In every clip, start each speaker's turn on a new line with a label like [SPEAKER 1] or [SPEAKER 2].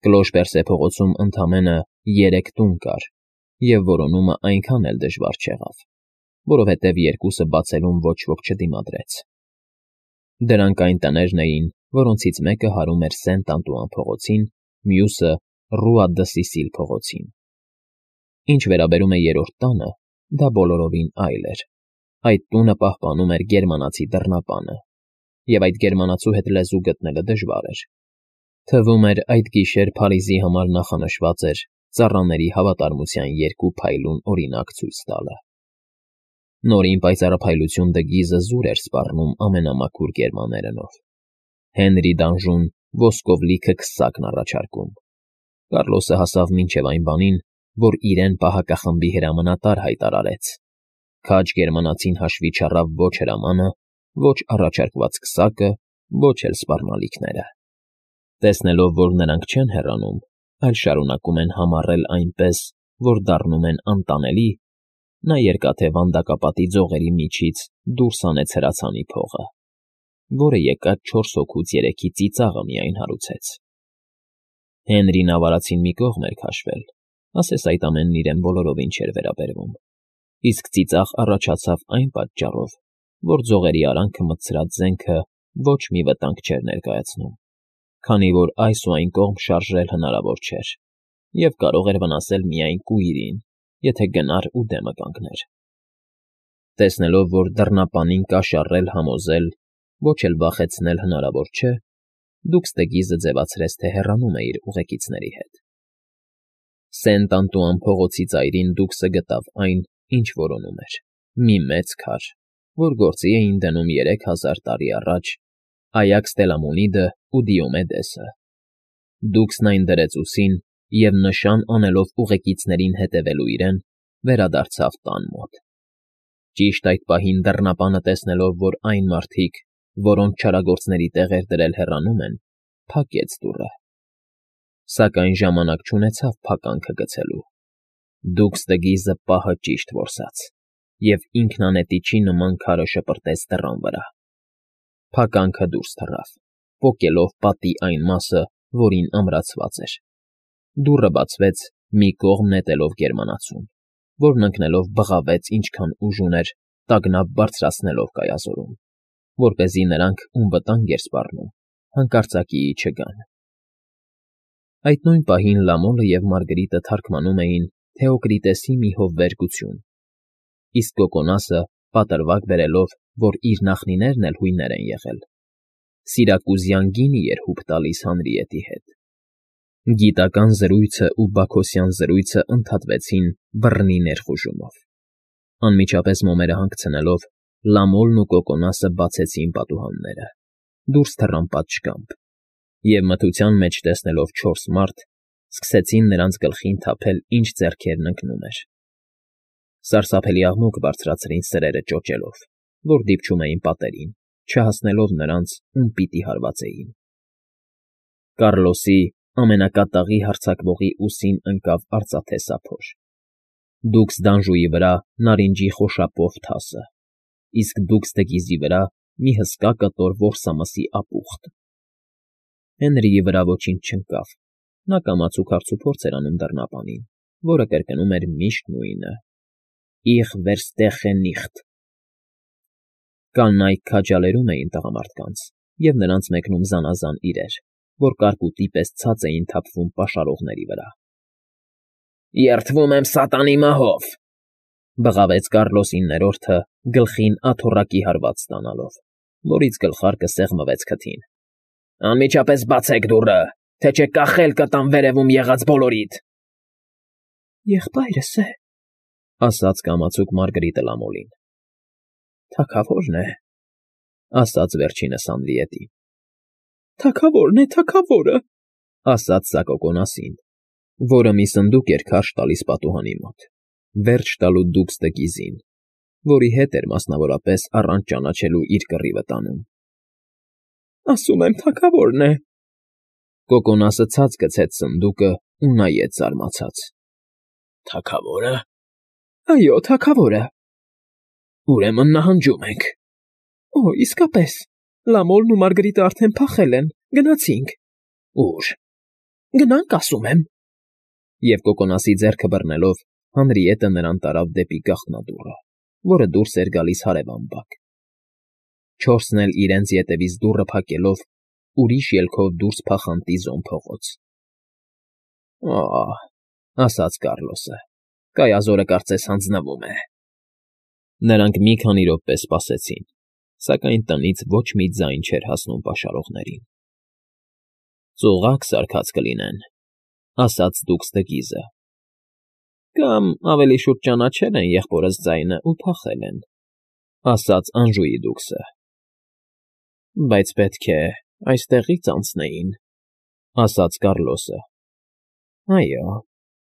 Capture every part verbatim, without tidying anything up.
[SPEAKER 1] Կլոշպերսե փողոցում ընդամենը երեք տուն կար, և որոնումը այնքան էլ դժվար չեղավ, որովհետև երկուսը բացելուն ոչ ոք չդիմադրեց. դրանք այն տներն էին, որոնցից մեկը հարում էր Սենտ Անտուան փողոցին, մյուսը՝ Ռուա դը Սիսիլ փողոցին. Ինչ վերաբերում է երրորդ տանը, դա բոլորովին այլ էր. այդ տունը պահպանում էր գերմանացի դռնապանը, և այդ գերմանացու հետ լեզու գտնելը դժվար էր. թվում էր այդ գիշեր Փարիզի համար նախանշված էր ծառաների հավատարմության երկու փայլուն օրինակ ցույց տալը. Նորին պայծառափայլություն դգիզը զուր էր սպառնում ամենամաքուր գերմաներենով. Հենրի Դանժուն ոսկով լիքը քսակն առաջարկում. Կառլոսը հասավ մինչև այն բանին, որ իրեն պահակախմբի հրամանատար հայտարարեց. քաջ գերմանացին հաշվի չառավ ոչ հրամանը, ոչ առաջարկված քսակը, ոչ էլ սպառնալիքները. Տեսնելով, որ նրանք չեն հեռանում, այլ շարունակում են համառել այնպես, որ դառնում են անտանելի, նա երկաթե վանդակապատի ձողերի միջից դուրս հանեց հրացանի փողը, որը եկած չորս հոգուց երեքի ծիծաղը միայն հարուցեց. Հենրին ավարածին մի կողմ էր քաշվել, ասես այդ ամենն իրեն բոլորովին չէր վերաբերվում, իսկ ծիծաղ առաջացավ այն պատճառով, որ ձողերի արանքը մտցրած զենքը ոչ մի վտանգ չէր ներկայացնում, քանի որ այս ու այն կողմ շարժել հնարավոր չէր, և կարող էր վնասել միայն կույրին, եթե գնար ու դեմը կանգներ. Տեսնելով, որ դռնապանին կաշառել համոզել, ոչ էլ վախեցնել հնարավոր չէ, Դուքսդեգիզը ձևացրեց, թե հեռանում է իր ուղեկիցների հետ. Սենտ Անտուան փողոցի ծայրին Դուքսը գտավ այն, ինչ որոնում էր. մի մեծ քար, որ գործի էին դնում երեք հազար տարի առաջ Այաքս Տելամոնիդը ու Դիոմեդեսը. Դուքսն այն դրեց ուսին և, նշան անելով ուղեկիցներին հետևելու իրեն, վերադարձավ տան մոտ. Ճիշտ այդ պահին դռնապանը տեսնելով, որ այն մարդիկ, որոնց չարագործների տեղ էր դրել հեռանում են, փակեց դուռը. Սակայն ժամանակ չունեցավ փականքը գցելու. Դուքսդեգիզը պահը ճիշտ որսաց, և ինքնանետիչի նման քարը շպրտեց դռան վրա. Փականքը դուրս թռավ, պոկելով պատի այն մասը, որին ամրացված էր. դուռը բացվեց, մի կողմ նետելով գերմանացուն, որն ընկնելով բղավեց ինչքան ուժ ուներ, տագնապ բարձրացնելով կայազորում, որպեսզի նրանք, ում վտանգ էր սպառնում, հանկարծակիի չգան. Այդ նույն պահին Լամոլը և Մարգրիտը թարգմանում էին Թեոկրիտեսի մի հովվերգություն, իսկ Կոկոնասը պատրվակ բերելով, որ իր նախնիներն էլ հույներ են եղել, սիրակուզյան գինի էր հուպ տալիս Հանրիետի հետ. Գիտական զրույցն ու բաքոսյան զրույցն ընդհատվեցին բռնի ներխուժումով. Անմիջապես մոմերը հանգցնելով, Լամոլն ու Կոկոնասը բացեցին պատուհանները, դուրս թռան պատշգամբ, և մթության մեջ տեսնելով չորս մարդ, սկսեցին նրանց գլխին թափել, ինչ ձեռքերն ընկնում էր. Սարսափելի աղմուկ բարձրացրին սրերը ճոճելով, որ դիպչում էին պատերին, չհասնելով նրանց, ում պիտի հարվածեին. Կառլոսի ամենակատաղի հարձակվողի ուսին ընկավ արծաթե սափոր, Դուքսդանժուի վրա նարինջի խոշապով թասը, իսկ Դուքսդեգիզի վրա մի հսկա կտոր որսամսի ապուխտ. Հենրիի վրա ոչինչ չընկավ, նա կամացուկ հարցուփորձ էր անում դռնապանին, որը կրկնում էր միշտ նույնը. Ich verstehe nicht. Կանայք քաջալերում էին տղամարդկանց, և նրանց մեկնում զանազան իրեր, որ կարկուտի պես ցած էին թափվում պաշարողների վրա. Երդվում եմ սատանի մահով,֊ բղավեց Կառլոս իններորդը գլխին աթոռակի հարված ստանալով, որից գլխարկը սեղմվեց քթին։ Անմիջապես բացեք դուռը, թե չէ կախել կտամ վերևում եղած բոլորիդ։ Եղբայրս է,֊ ասաց կամացուկ Մարգրիտը Լամոլին։ Թագավորն է,֊ ասաց վերջինս Անրիետին։ Թագավորն է, թագավորը,֊ ասաց սա Կոկոնասին, որը մի սնդուկ էր քարշ տալիս պատուհանի մոտ, վերջ տալու Դուքսդեգիզին, որի հետ էր մասնավորապես առանց ճանաչելու իր կռիվը տանում։ Ասում եմ, թագավորն է։ Կոկոնասը ցած գցեց սնդուկը ու նայեց զարմացած։ Թագավո՞րը։ Այո, թագավորը։ Ուրեմն նահանջում ենք։ Օ, իսկապես, Լամոլն ու Մարգրիտը արդեն փախել են, գնացինք։ Ուր։ Գնանք, ասում եմ։ Եվ կոկոնասի ձեռքը բռնելով Հանրիետը նրան տարավ դեպի գաղտնադուռը, որը դուրս էր գալիս հարևան բակ։ Չորսն էլ իրենց ետևից դուռը փակելով ուրիշ ելքով դուրս փախան տիզոն փողոց։ Ահ, ասաց Կառլոսը, կայազորը կարծես հանձնվում է։ Նրանք մի քանի րոպե սպասեցին, սակայն տնից ոչ մի ձայն չէր հասնում պաշարողներին։ Ծուղակ սարքած կլինեն, ասաց դուքսդգիզը։ Կամ ավելի շուտ ճանաչել են եղբորս ձայնը ու փախել են, ասաց Անժուի դուքսը։ Բայց պետք է այստեղից անցնեին, ասաց Կառլոսը։ Այո,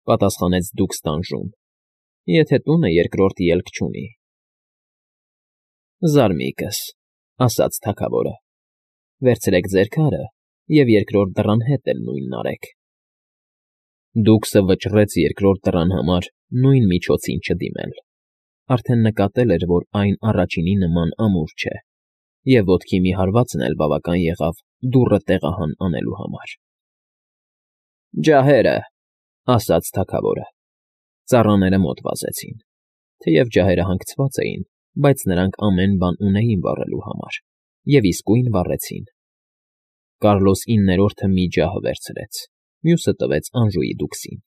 [SPEAKER 1] պատասխանեց դուքս տանժում, եթե տունը երկրորդ ելք չունի։ Զարմիկս, ասաց թագավորը, վերցրեք ձեր քարը և երկրորդ դռան հետ էլ նույնն արեք։ Դուքսը վճռեց երկրորդ դռան համար նույն միջոցին չդիմել, արդեն նկատել էր, որ այն առաջինի նման ամուր չէ, և ոտքի մի հարվածն էլ բավական եղավ դուռը տեղահան անելու համար։ Ջահերը, ասաց թագավորը։ Ծառաները մոտ վազեցին, թեև ջահերը հանգցված էին, բայց նրանք ամեն բան ունեին վառելու համար, և իսկույն վառեցին։ Կառլոս իններորդը մի ջահ վերցրեց, մյուսը տվեց Անժուի դուքսին։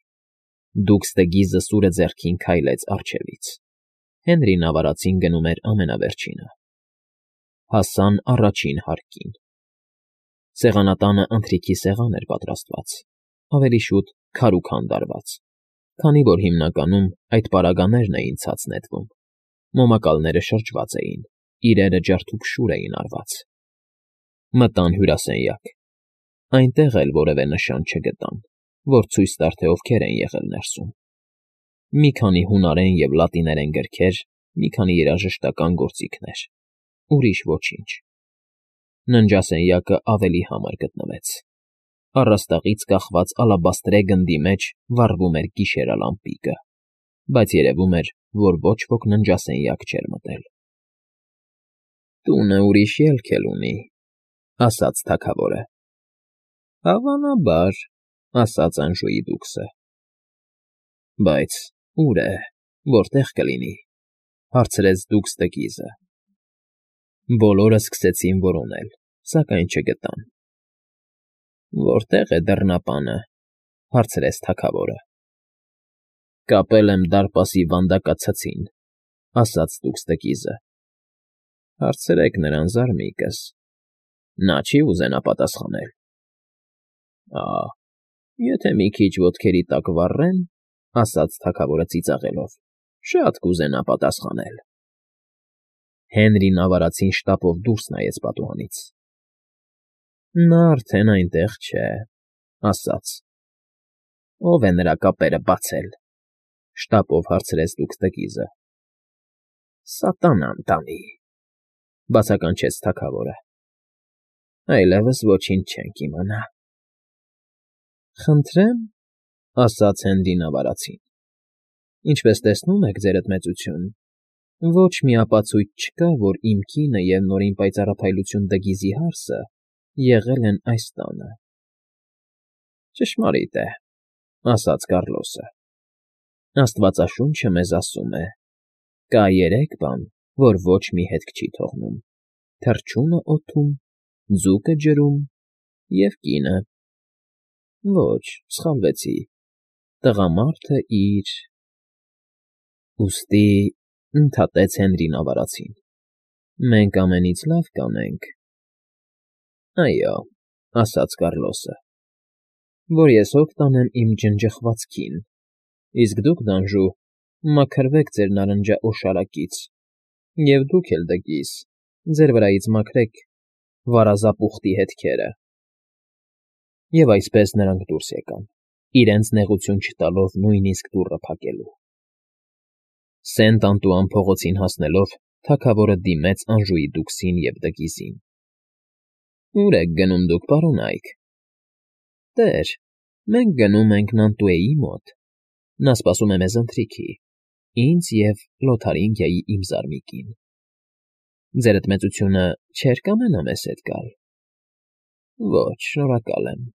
[SPEAKER 1] Դուքսդգիզը սուրը ձեռքին քայլեց առջևից։ Հենրին ավարածին գնում էր ամենավերջինը։ Հասան առաջին հարկին։ Սեղանատանը ընթրիքի սեղան էր պատրաստված, ավելի շուտ քարուքան դարված, քանի որ հիմնականում այդ պարագաներն էին ցած նետվում, մոմակալները շրջված էին, իրերը ջարդուփշուր էին արված։ Մտան հյուրասենյակ։ Այնտեղ էլ որևէ նշան չգտան, որ ցույց տար, թե ովքեր են եղել ներսում։ Մի քանի հունարեն և լատիներեն գրքեր, մի քանի երաժշտական գործիքներ, ուրիշ ոչինչ։ Ննջասենյակը ավելի համար գտնվեց։ Առաստաղից կախված ալաբաստրե գնդի մեջ վառվում էր գիշերալամպիկը, բայց երևում էր, որ ոչ ոք ննջասենյակ չէր մտել։ Տունը ուրիշ ելք էլ ունի, ասաց թագավորը։ Հավանաբար, ասաց Անժուի դուքսը։ Բայց ուր է, որտեղ կլինի, հարցրեց դուքսդգիզը։ Բոլորը սկսեցին որոնել, սակայն չգտան։ Որտե՞ղ է դռնապանը, հարցրեց թագավորը։ Կապել եմ դարպասի վանդակացցին, ասաց դուքսդգիզը։ Հարցրեք նրան, զարմիկս, նա չի ուզենա պատասխանել։ Ահ, եթե մի քիչ ոտքերի տակ վառեն, ասաց թագավորը ծիծաղելով, շատ կուզենա պատասխանել։ Հենրին ավարածին շտապով դուրս նայեց պատուհանից։ Նա արդեն այնտեղ չէ, ասաց։ Ո՞վ է նրա կապերը բացել, շտապով հարցրեց դուքսդգիզը։ Սատանան տանի, բացականչեց թագավորը։ Այլևս ոչինչ չենք իմանա։ Խնդրեմ, ասաց Հենրին ավարածին։ Ինչպես տեսնում եք, ձերդ մեծություն, ոչ մի ապացույց չկա, որ իմ կինը և նորին պայծառափայլություն Դգիզի հարսը եղել են այս տանը։ Ճշմարիտ է, ասաց Կառլոսը։ Աստվածաշունչը մեզ ասում է. կա երեք բան, որ ոչ մի հետք չի թողնում. թռչունը օդում, ձուկը ջրում և կինը։ Ոչ, սխալվեցի, տղամարդը իր… Ուստի, ընդհատեց Հենրին ավարածին, մենք ամենից լավ կանենք… Այո, ասաց Կառլոսը, որ ես հոգ տանեմ իմ ջնջխված քին, իսկ դուք, Դանժու, մաքրվեք ձեր նարնջաօշարակից, և դուք էլ, Դգիզ, ձեր վրայից մաքրեք վարազապուխտի հետքերը։ Եվ այսպես նրանք դուրս եկան, իրենց նեղություն չտալով նույնիսկ դուռը փակելու։ Սենտ Անտուան փողոցին հասնելով, թագավորը դիմեց Անժուի դուքսին և Դգիզին։ Ո՞ւր եք գնում դուք, պարոնայք։ Տեր, մենք գնում ենք Նանտուեի մոտ, նա սպասում է մեզ ընթրիքի, ինձ և Լոթարինգիայի իմ զարմիկին։ Ձերդ մեծությունը չէր կամենա մեզ հետ գալ։ Ոչ, շնորհակալ եմ։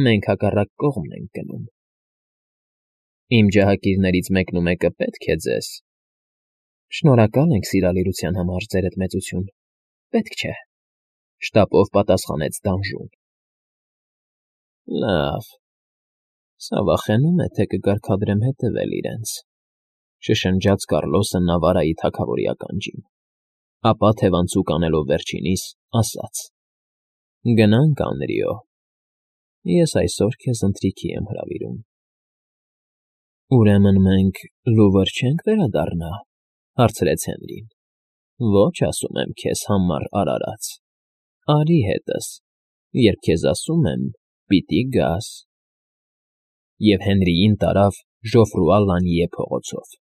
[SPEAKER 1] մենք հակառակ կողմն ենք գնում։ Իմ ջահակիրներից մեկն ու մեկը պետք է ձեզ։ Շնորհակալ ենք սիրալիրության համար, ձերդ մեծություն, պետք չէ, շտապով պատասխանեց տանժուն։ Լավ, սա վախենում է, թե կկարգադրեմ հետևել իրենց, շշնջաց Կառլոսը Նավարայի թագավորի ականջին, ապա թևանցուկ անելով վերջինիս, ասաց. Գնանք, Անրիո, ես այսօր քեզ ընթրիքի եմ հրավիրում։ Ուրեմն մենք լուվր չենք վերադառնա, հարցրեց Հենրին։ Ոչ, ասում եմ քեզ, համառ արարած, արի հետս, երբ քեզ ասում եմ, պիտի գաս։ Եվ Հենրիին տարավ Ժոֆրուա Լանիե փողոցով։